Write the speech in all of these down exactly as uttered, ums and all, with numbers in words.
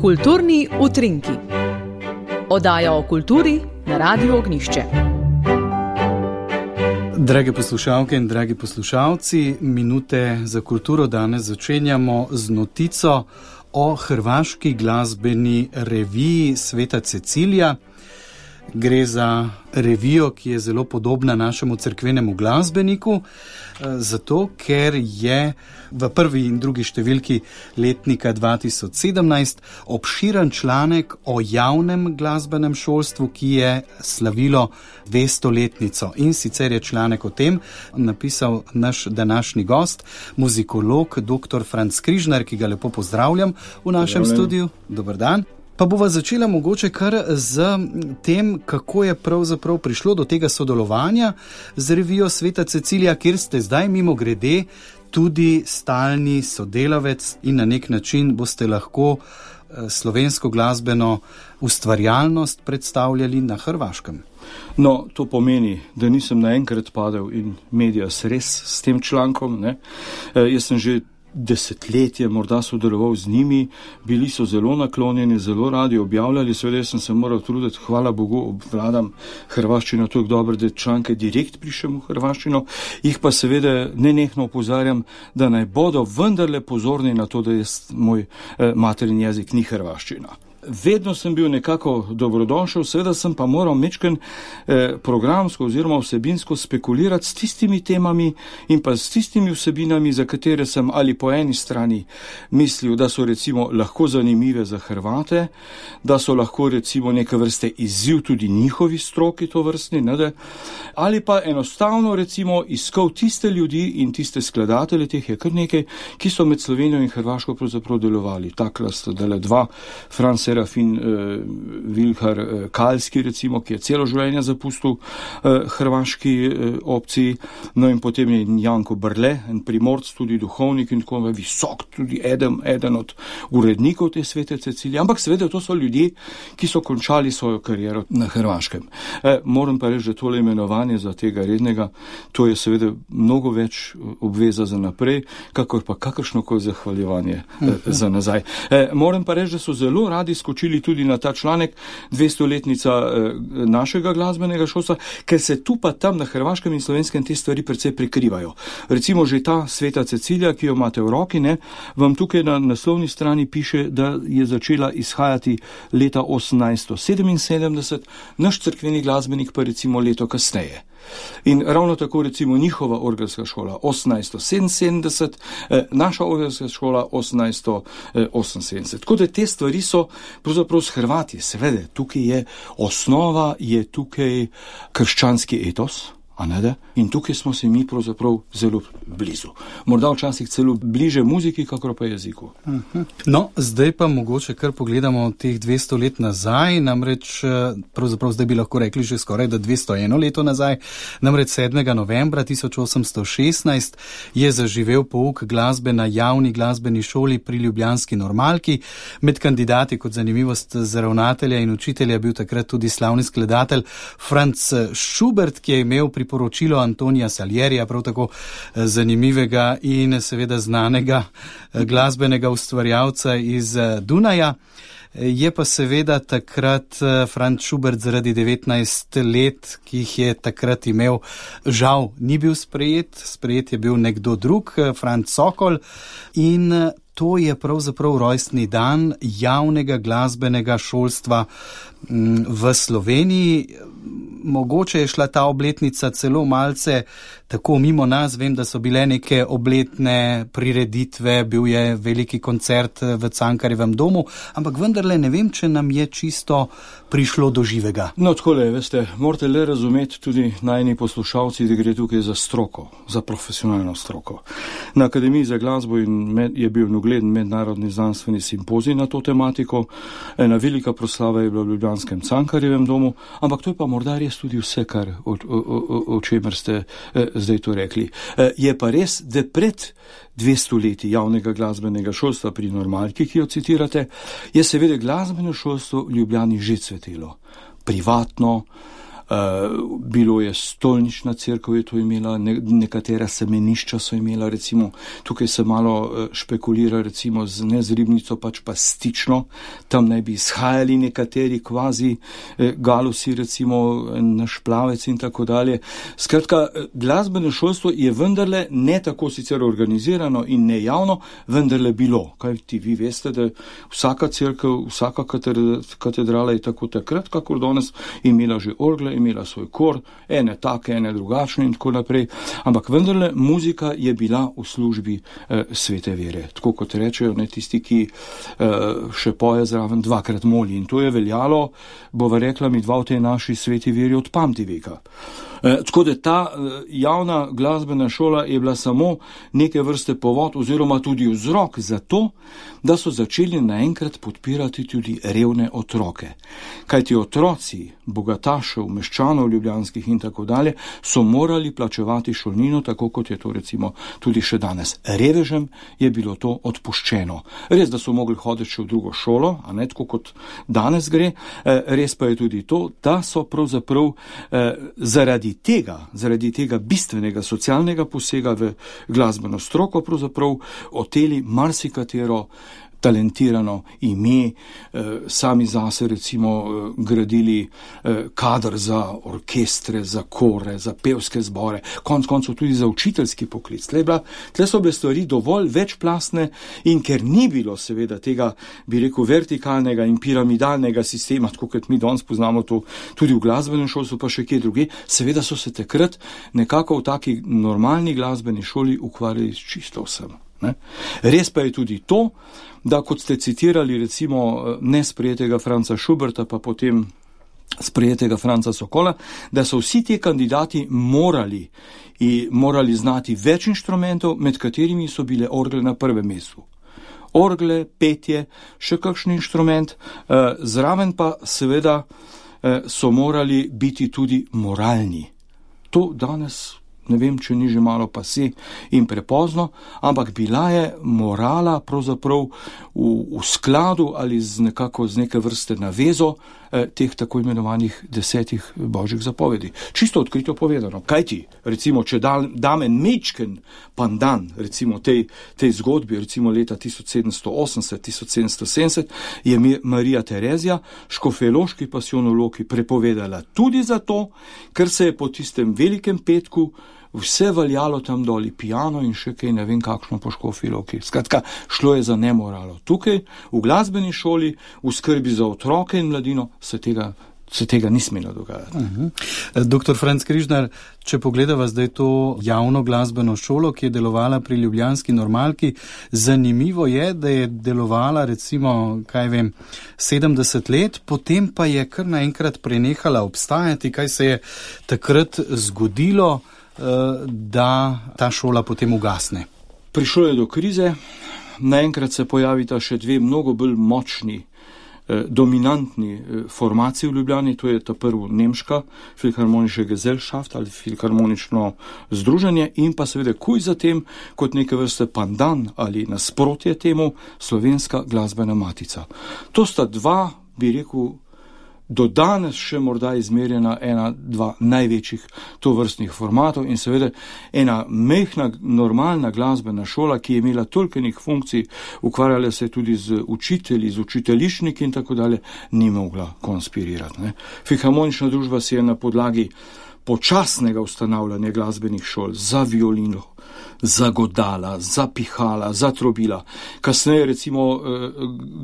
Kulturni utrinki. Oddaja o kulturi na Radiu Ognjišče. Drage poslušalke in dragi poslušalci, minute za kulturo danes začenjamo z notico o hrvaški glasbeni reviji Sveta Cecilija. Gre za revijo, ki je zelo podobna našemu cerkvenemu glasbeniku, zato ker je v prvi in drugi številki letnika dva tisoč sedemnajst obširen članek o javnem glasbenem šolstvu, ki je slavilo dvestoletnico. In sicer je članek o tem napisal naš današnji gost, muzikolog dr. Franc Križnar, ki ga lepo pozdravljam v našem studiu. Dober dan. Pa bova začela mogoče kar z tem, kako je pravzaprav prišlo do tega sodelovanja z revijo Sveta Cecilija, kjer ste zdaj mimo grede tudi stalni sodelavec in na nek način boste lahko slovensko glasbeno ustvarjalnost predstavljali na Hrvaškem. No, to pomeni, da nisem naenkrat padel in medias res s tem člankom. Ne? E, jaz sem že desetletje morda sodeloval z njimi, bili so zelo naklonjeni, zelo radi objavljali, seveda sem se moral truditi, hvala Bogu, obvladam hrvaščino toliko dobro, da članke direkt prišem v hrvaščino, jih pa seveda nenehno opozarjam, da naj bodo vendarle pozorni na to, da je moj eh, materin jezik ni hrvaščina. Vedno sem bil nekako dobrodošel, seveda sem pa moral mečken eh, programsko oziroma vsebinsko spekulirati s tistimi temami in pa s tistimi vsebinami, za katere sem ali po eni strani mislil, da so recimo lahko zanimive za Hrvate, da so lahko recimo neke vrste izziv tudi njihovi stroki to vrstni, ne, da, ali pa enostavno recimo iskal tiste ljudi in tiste skladatelje, teh je kar nekaj, ki so med Slovenijo in Hrvaško pravzaprav delovali. Takla sta dele dva, Franc Serafin uh, Vilhar uh, Kalski, recimo, ki je celo življenje zapustil uh, hrvaški uh, opciji, no in potem je Janko Brle, en primorc, tudi duhovnik in tako visok, tudi eden, eden od urednikov te Svete Cecilije, ampak seveda to so ljudje, ki so končali svojo kariero na Hrvaškem. E, moram pa reči, da tole imenovanje za tega rednega, to je seveda mnogo več obveza za naprej, kakor pa kakršnokoli zahvaljevanje e, za nazaj. E, moram pa reči, da so zelo radi skočili tudi na ta članek dvestoletnica eh, našega glasbenega šolstva, ker se tu pa tam na hrvaškem in slovenskem te stvari precej prekrivajo. Recimo že ta Sveta Cecilija, ki jo imate v roki, ne, vam tukaj na naslovni strani piše, da je začela izhajati leta osemnajststo sedeminsedemdeset, naš cerkveni glasbenik pa recimo leto kasneje. In ravno tako recimo njihova orgelska šola osemnajststo sedeminsedemdeset, eh, naša orgelska šola osemnajststo oseminsedemdeset. Tako da te stvari so pravzaprav s Hrvati. Seveda, tukaj je osnova, je tukaj krščanski etos, a ne da? In tukaj smo se mi pravzaprav zelo blizu. Morda včasih celo bliže muziki, kakor pa jeziku. No, zdaj pa mogoče kar pogledamo teh dvesto let nazaj, namreč pravzaprav zdaj bi lahko rekli že skoraj da dvesto eno leto nazaj, namreč sedmega novembra tisoč osemsto šestnajst je zaživel pouk glasbe na javni glasbeni šoli pri ljubljanski Normalki. Med kandidati kot zanimivost za ravnatelja in učitelja bil takrat tudi slavni skladatelj Franz Schubert, ki je imel priporočilo Antonija Salierija, prav tako zanimivega in seveda znanega glasbenega ustvarjalca iz Dunaja. Je pa seveda takrat Franz Schubert zaradi devetnajst let, ki jih je takrat imel, žal ni bil sprejet, sprejet je bil nekdo drug, Franz Sokol, in to je pravzaprav rojstni dan javnega glasbenega šolstva v Sloveniji. Mogoče je šla ta obletnica celo malce tako mimo nas, vem, da so bile neke obletne prireditve, bil je veliki koncert v Cankarjevem domu, ampak vendarle ne vem, če nam je čisto prišlo do živega. No, takole, veste, morate le razumeti tudi najni poslušalci, da gre tukaj za stroko, za profesionalno stroko. Na Akademiji za glasbo in med, je bil ugleden mednarodni znanstveni simpozij na to tematiko, ena velika proslava je bila v ljubljanskem Cankarjevem domu, ampak to je pa morda res tudi vse, kar o, o, o, o čemer ste eh, zdaj to rekli. Eh, je pa res, da pred dvesto leti javnega glasbenega šolstva pri Normalki, ki jo citirate, je seveda glasbeno šolstvo v Ljubljani že cvetelo. Privatno, Uh, bilo je stolnična cerkev, je to imela, ne, nekatera semenišča so imela, recimo, tukaj se malo uh, špekulira, recimo, z, ne z ribnico, pač pa stično, tam naj bi izhajali nekateri kvazi eh, galusi, recimo, naš plavec in tako dalje. Skratka, glasbeno šolstvo je vendarle ne tako sicer organizirano in ne javno, vendarle bilo. Kaj ti vi veste, da vsaka cerkev, vsaka katedrala je tako takrat, kakor danes, imela že orgle, imela svoj kor, ene take, ene drugačne in tako naprej, ampak vendarle muzika je bila v službi eh, svete vere. Tako kot rečejo, ne, tisti, ki eh, še poje zraven, dvakrat moli. In to je veljalo, bova rekla mi dva v tej naši sveti veri od pamti veka. E, tako da ta e, javna glasbena šola je bila samo neke vrste povod oziroma tudi vzrok za to, da so začeli naenkrat podpirati tudi revne otroke. Kajti otroci bogatašev, meščanov ljubljanskih in tako dalje so morali plačevati šolnino, tako kot je to recimo tudi še danes. Revežem je bilo to odpuščeno. Res, da so mogli hoditi še v drugo šolo, a ne tako kot danes gre, e, res pa je tudi to, da so pravzaprav e, zaradi tega, zaradi tega bistvenega socialnega posega v glasbeno stroko pravzaprav oteli marsikatero talentirano ime, eh, sami zase recimo eh, gradili eh, kader za orkestre, za kore, za pevske zbore, konc koncev tudi za učiteljski poklic. Tle, bila, tle so bile stvari dovolj večplastne in ker ni bilo seveda tega, bi rekel, vertikalnega in piramidalnega sistema, tako kot mi danes poznamo to tudi v glasbenem šolstvu, pa še kje druge, seveda so se takrat nekako v taki normalni glasbeni šoli ukvarjali s čisto vsem. Ne? Res pa je tudi to, da kot ste citirali recimo nesprejetega Franca Schuberta, pa potem sprejetega Franca Sokola, da so vsi ti kandidati morali, in morali znati več inštrumentov, med katerimi so bile orgle na prvem mestu. Orgle, petje, še kakšen inštrument, eh, zraven pa seveda eh, so morali biti tudi moralni. To danes ne vem, če ni že malo pase in prepozno, ampak bila je morala pravzaprav v, v skladu ali z nekako z neke vrste navezo eh, teh tako imenovanih desetih božjih zapovedi. Čisto odkrito povedano. Kaj ti, recimo, če da, dame mečken pandan, recimo tej, tej zgodbi, recimo leta tisoč sedemsto osemdeset do tisoč sedemsto sedemdeset, je Marija Terezija, škofjeloški pasijonologi, prepovedala tudi zato, ker se je po tistem velikem petku vse valjalo tam doli, piano in še kaj, ne vem kakšno po Škofji-Loki. Skratka, šlo je za nemoralo. Tukaj, v glasbeni šoli, v skrbi za otroke in mladino, se tega, se tega ni smelo dogajati. Uh-huh. Doktor Franc Križnar, če pogledava zdaj to javno glasbeno šolo, ki je delovala pri ljubljanski Normalki, zanimivo je, da je delovala recimo, kaj vem, sedemdeset let, potem pa je kar naenkrat prenehala obstajati. Kaj se je takrat zgodilo, da ta šola potem ugasne? Prišlo je do krize, naenkrat se pojavita še dve mnogo bolj močni, eh, dominantni eh, formaciji v Ljubljani, to je ta prvo nemška filharmonische Gesellschaft ali filharmonično združenje in pa seveda kuj zatem kot neke vrste pandan ali nasprotje temu slovenska glasbena matica. To sta dva, bi rekel, do danes še morda izmerjena ena, dva največjih tovrstnih formatov in seveda ena mehna, normalna glasbena šola, ki je imela tolkenih funkcij, ukvarjala se tudi z učitelji, z učiteljišniki in tako dalje, ni mogla konspirirati. Ne. Filharmonična družba si je na podlagi počasnega ustanavljanja glasbenih šol za violino, za godala, za pihala, za trobila. Kasneje recimo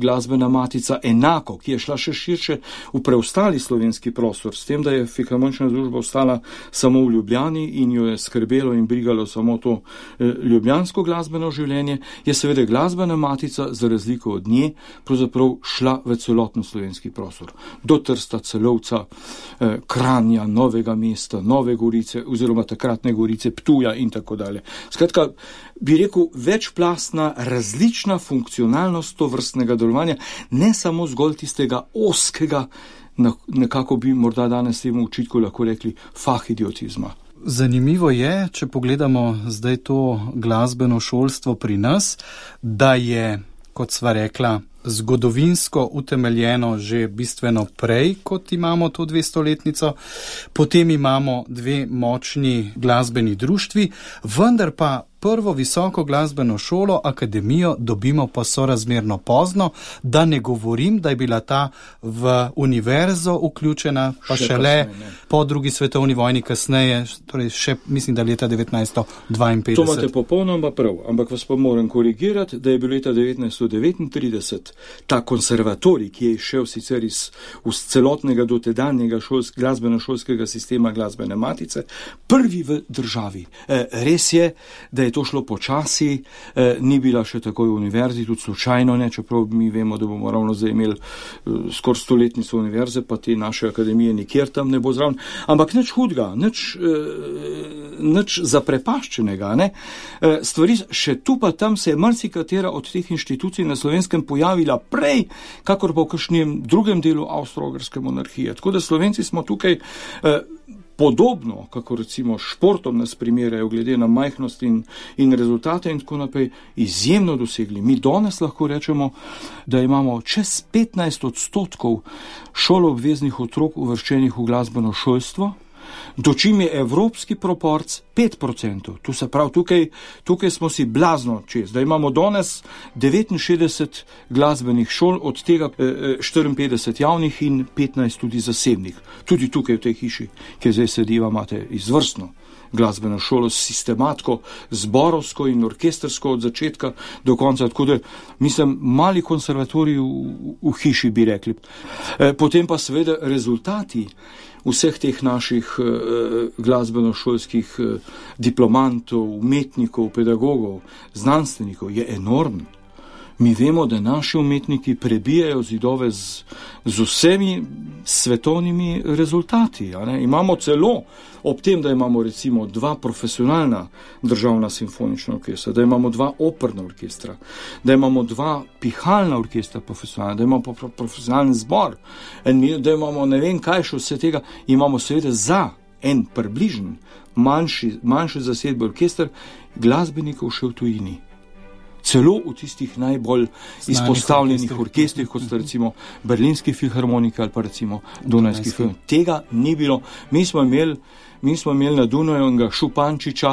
glasbena matica Enako, ki je šla še širše v preostali slovenski prostor, s tem, da je filharmonična družba ostala samo v Ljubljani in jo je skrbelo in brigalo samo to ljubljansko glasbeno življenje, je seveda glasbena matica za razliko od nje pravzaprav šla v celoten slovenski prostor. Do Trsta, Celovca, Kranja, Novega mesta, Nove Gorice oziroma takratne Gorice, Ptuja in tako dalje. Skratka, bi rekel, večplastna, različna funkcionalnost tovrstnega delovanja, ne samo zgolj tistega oskega, nekako bi morda danes temu učitku lahko rekli, fahidiotizma. Zanimivo je, če pogledamo zdaj to glasbeno šolstvo pri nas, da je, kot sva rekla, zgodovinsko utemeljeno že bistveno prej, kot imamo to dvestoletnico. Potem imamo dve močni glasbeni društvi, vendar pa prvo visoko glasbeno šolo, akademijo, dobimo pa sorazmerno pozno, da ne govorim, da je bila ta v univerzo vključena, pa še šele kasneje, po drugi svetovni vojni kasneje, torej še mislim, da leta devetnajststo dvainpetdeset. To imate popolnoma prav, ampak vas pa moram korigirati, da je bil leta devetnajststo devetintrideset ta konservatorij, ki je išel sicer iz, iz celotnega dotedanjega šolsk, glasbeno-šolskega sistema glasbene matice, prvi v državi. E, res je, da je to šlo počasi, eh, ni bila še takoj v univerzi, tudi slučajno ne, čeprav mi vemo, da bomo ravno zdaj imeli eh, skoraj stoletnico univerze, pa te naše akademije nikjer tam ne bo zraven. Ampak nič hudega, nič, eh, nič zaprepaščenega. Ne? Eh, stvari še tu pa tam se je marsikatera od teh inštitucij na Slovenskem pojavila prej, kakor pa v kakšnem drugem delu Avstro-Ogrske monarhije. Tako da Slovenci smo tukaj eh, podobno, kako recimo športom nas primerjajo, glede na majhnost in, in rezultate in tako naprej, izjemno dosegli. Mi danes lahko rečemo, da imamo čez petnajst odstotkov šoloobveznih otrok uvrščenih v glasbeno šolstvo, dočim je evropski proporc pet procentov. Tu se pravi, tukaj, tukaj smo si blazno čez. Da imamo danes devetinšestdeset glasbenih šol, od tega štiriinpetdeset javnih in petnajst tudi zasebnih. Tudi tukaj v tej hiši, ki zdaj sediva, imate izvrstno glasbeno šolo, sistematko, zborovsko in orkestrsko od začetka do konca, tako da mislim, mali konservatorij v, v hiši bi rekli. E, potem pa seveda rezultati vseh teh naših eh, glasbeno-šolskih eh, diplomantov, umetnikov, pedagogov, znanstvenikov je enormen. Mi vemo, da naši umetniki prebijajo zidove z, z vsemi svetovnimi rezultati. A ne? Imamo celo, ob tem, da imamo recimo dva profesionalna državna simfonična orkestra, da imamo dva operna orkestra, da imamo dva pihalna orkestra profesionalna, da imamo profesionalni zbor, da imamo ne vem kaj še vse tega, imamo seveda za en približen manjši, manjši zasedbe orkester glasbenikov še v tujini. Celo v tistih najbolj Znanih izpostavljenih orkestrih, kot sta recimo Berlinski filharmonika ali pa recimo Dunajski filharmonika. Tega ni bilo. Mi smo imeli, mi smo imeli na Dunaju enega Šupančiča,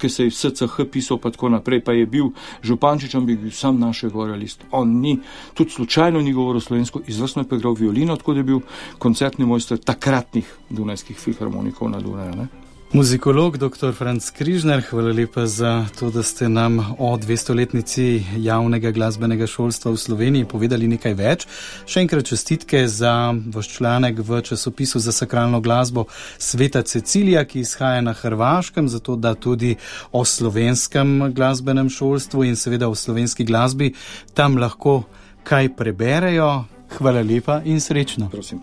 ki se je v S C H pisal pa tako naprej, pa je bil Župančič, bi bil sam našega realist. On ni, tudi slučajno ni govoril slovensko, izvrstno je pa igral violino, tako da je bil koncertni mojster takratnih Dunajskih filharmonikov na Dunaju, ne? Muzikolog doktor Franc Križnar, hvala lepa za to, da ste nam o dvestoletnici javnega glasbenega šolstva v Sloveniji povedali nekaj več. Še enkrat čestitke za vaš članek v časopisu za sakralno glasbo Sveta Cecilija, ki izhaja na Hrvaškem, zato da tudi o slovenskem glasbenem šolstvu in seveda o slovenski glasbi tam lahko kaj preberejo. Hvala lepa in srečno. Prosim.